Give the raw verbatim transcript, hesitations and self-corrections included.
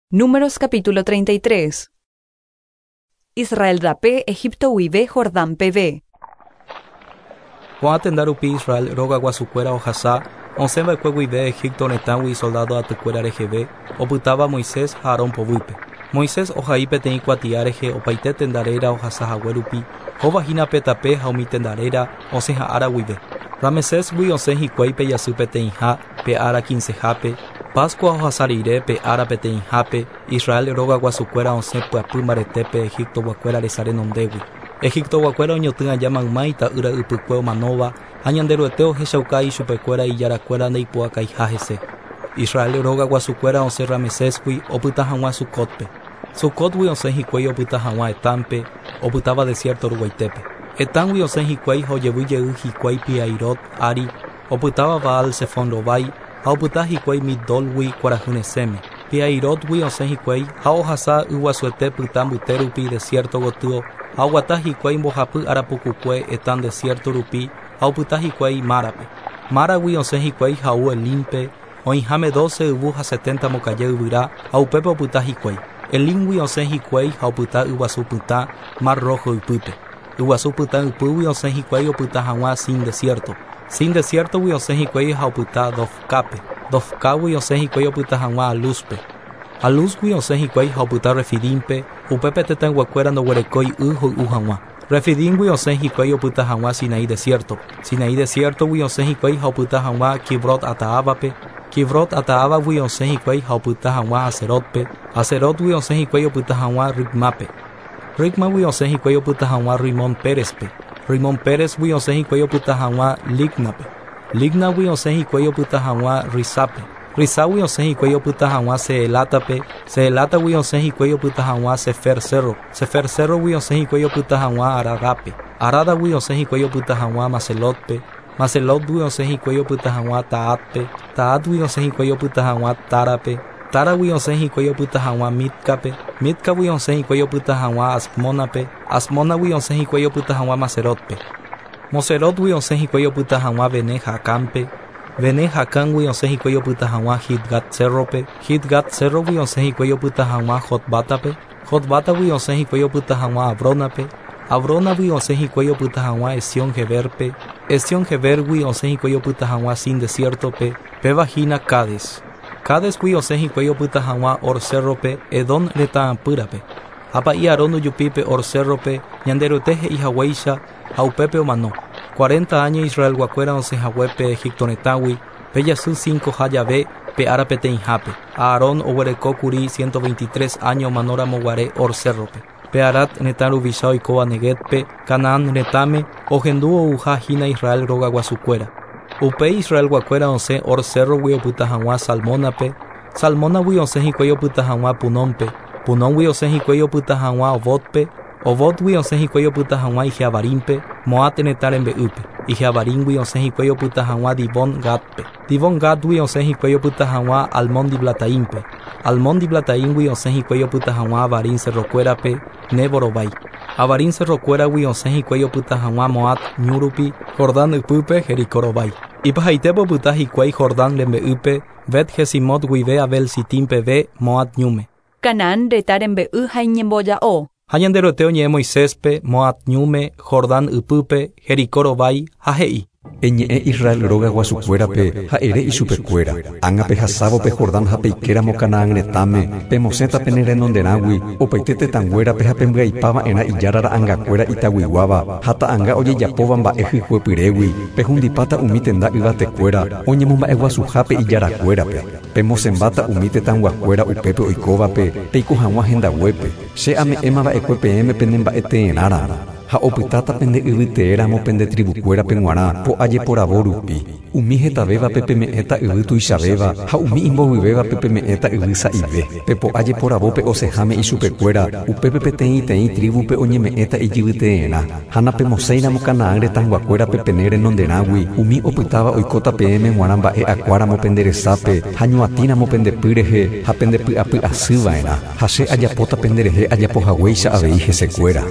Números capítulo treinta y tres. Israel rape Egipto guive Jordán peve. Ko'ã tenda rupi Israel róga guasukuéra ohasa osẽva'ekue guive Egipto retãgui soldado atykuéra reheve opytáva Moisés ha Aarón poguýpe. Moisés ohai peteĩ kuatia rehe opaite tendaréra ohasahague rupi hovahína pe tape ha umi tendaréra osẽha'ára guive. Ramesésgui osẽ hikuái pe jasy peteĩha pe ára quincehápe, Pascua ohasa rire pe ára peteĩhápe, Israel róga guasukuéra osẽ pyapy mbaretépe Egiptoguakuéra resa renondégui. Egiptoguakuéra oñotỹ aja mayma ita'ýra ypykue omanóva ha Ñanderuete ohechauka ichupekuéra ijarakuéra ndeipu'akaiha hese. Israel róga guasukuéra osẽ Ramesésgui opyta hag̃ua Sucotpe. Sucotgui osẽ hikuái opyta hag̃ua Etámpe, opytáva desierto ruguaitépe. Etámgui osẽ hikuái ha ojevy jey hikuái Piairot ári, opytáva Baal Sefón rovái ha opyta hikuái Migdolgui kuarahy resẽme. Piairotgui osẽ hikuái ha ohasa yguasuete pytã mbyte rupi desierto gotyo ha oguata hikuái mbohapy ára pukukue Etán desierto rupi ha opyta hikuái Márape. Máragui osẽ hikuái ha ou Elimpe, oĩháme doce yvu ha setenta mbokaja yvyra ha upépe opyta hikuái. Elimgui osẽ hikuái ha opyta yguasu pytã Mar Rojo ypýpe. Yguasu pytã ypýgui osẽ hikuái opyta hag̃ua Sin desierto. Sin desiertogui osẽ hikuái ha opyta Dofkápe. Dofkágui osẽ hikuái opyta hag̃ua Alúspe. Alúsgui osẽ hikuái ha opyta Refidímpe, upépe tetãyguakuéra ndoguerekói y hoy'u hag̃ua. Refidímgui osẽ hikuái opyta hag̃ua Sinaí desierto. Sinaí desiertogui osẽ hikuái ha opyta hag̃ua Kibrot Ataávape. Kibrot Ataávagui osẽ hikuái ha opyta hag̃ua Haserotpe. Haserotgui osẽ hikuái opyta hag̃ua Ritmápe. Ritmágui osẽ hikuái opyta hag̃ua Rimón Pérezpe. Rimón Pérezgui osẽ hikuái opyta hag̃ua Lígnape. Lígnagui osẽ hikuái opyta hag̃ua Risápe. Riságui osẽ hikuái opyta hag̃ua Seelátape. Seelátagui osẽ hikuái opyta hag̃ua Sefer Cerro. Sefer Cerrogui osẽ hikuái opyta hag̃ua Aradápe. Aradagui osẽ hikuái opyta hag̃ua Macelotpe. Macelotgui osẽ hikuái opyta hag̃ua Taátpe. Taátgui osẽ hikuái opyta hag̃ua Tárape. Táragui osẽ hikuái opyta hag̃ua Mitkápe. Mitkagui osẽ hikuái opyta hag̃ua Asmónape. Asmónagui osẽ hikuái opyta hag̃ua Macerotpe. Moserotgui osẽ hikuái opyta hag̃ua Bene-Jacánpe. Bene-Jacángui osẽ hikuái opyta hag̃ua Gidgad Cerrope. Gidgad Cerrogui osẽ hikuái opyta hag̃ua Jotbátape. Jotbátagui osẽ hikuái opyta hag̃ua Abrónape. Abrónagui osẽ hikuái opyta hag̃ua Esión-Geberpe. Esión-Gebergui osẽ hikuái opyta hag̃ua Sin desiertope, péva hína Cades. Cadesgui osẽ hikuái opyta hag̃ua Hor Cerrope, Edom retãpýrape. Ha pa'i Aarón ojupípe Hor Cerrope, Ñanderuete he'ihaguéicha ha upépe omano. Cuarenta años Israelguakuéra osẽhaguépe Egipto retãgui, pe jasy cincoha jave pe ára peteĩhápe. Aarón oguerekókuri ciento veintitrés años omanóramoguare Hor Cerrope. Pe Arad retã ruvicha oikóva Neguétpe, Canaán retãme, ohendu ouhahína Israel róga guasukuéra. Upéi Israelguakuéra osẽ Hor Cerrogui opyta hag̃ua Salmónape. Salmónagui osẽ hikuái opyta hag̃ua Punónpe. Punóngui osẽ hikuái opyta hag̃ua Obotpe. Obotgui osẽ hikuái opyta hag̃ua Ijeabarímpe, Moab retã rembe'ýpe. Ijeabarímgui osẽ hikuái opyta hag̃ua Dibón Gadpe. Dibón Gadgui osẽ hikuái opyta hag̃ua Almón Diblataímpe. Almón Diblataímgui osẽ hikuái opyta hag̃ua Abarín cerrokuérape, Nebo rovái. Abarín cerrokuéragui osẽ hikuái opyta hag̃ua Moab ñu rupi, Jordán ypýpe, Jericó rovái. Ipahaitépe opyta hikuái Jordán rembe'ýpe, Bet-Jesimot guive Abel Sitim peve, Moab ñúme. Canaán retã rembe'y ha iñemboja'o. Ha Ñanderuete oñe'ẽ Moiséspe, Moab ñúme, Jordán ypýpe, Jericó rovái ha he'i. Eñe'ẽ Israel róga guasukuérape ha ere ichupekuéra. Ág̃a pehasávo pe Jordán ha peikéramo Canaán retãme, pemosẽta pene renonderãgui, opaite tetãnguérape ha pembyaipava'erã ijára ra'ãngakuéra itaguiguáva ha ta'ãnga ojejapóva mba'e hykuepyrégui, pehundipáta umi tenda yvatekuéra oñemomba'eguasuhápe ijarakuérape. Pemosẽmbáta umi tetãnguakuéra upépe oikóvape, peiko hag̃ua hendaguépe. Che ame'ẽmava'ekue peẽme pene mba'eteerãramo. Ha opytáta pende yvyteéramo pende tribukuérape g̃uarã po'ajeporavo rupi. Umi hetavévape peme'ẽta yvy tuichavéva ha umi imbovyvévape peme'ẽta yvy sa'ive. Pe po'ajeporavópe osẽháme ichupekuéra, upépe peteĩteĩ tribupe oñeme'ẽta ijyvyteerã. Ha napemosẽiramo Canaán retãnguakuérape pene renonderãgui, umi opytáva oikóta peẽme g̃uarã mba'e akuáramo pende resápe ha ñuatĩramo pende py rehe ha pende py'apy'asyva'erã. Ha che ajapóta penderehe ajapohaguéicha avei hesekuéra.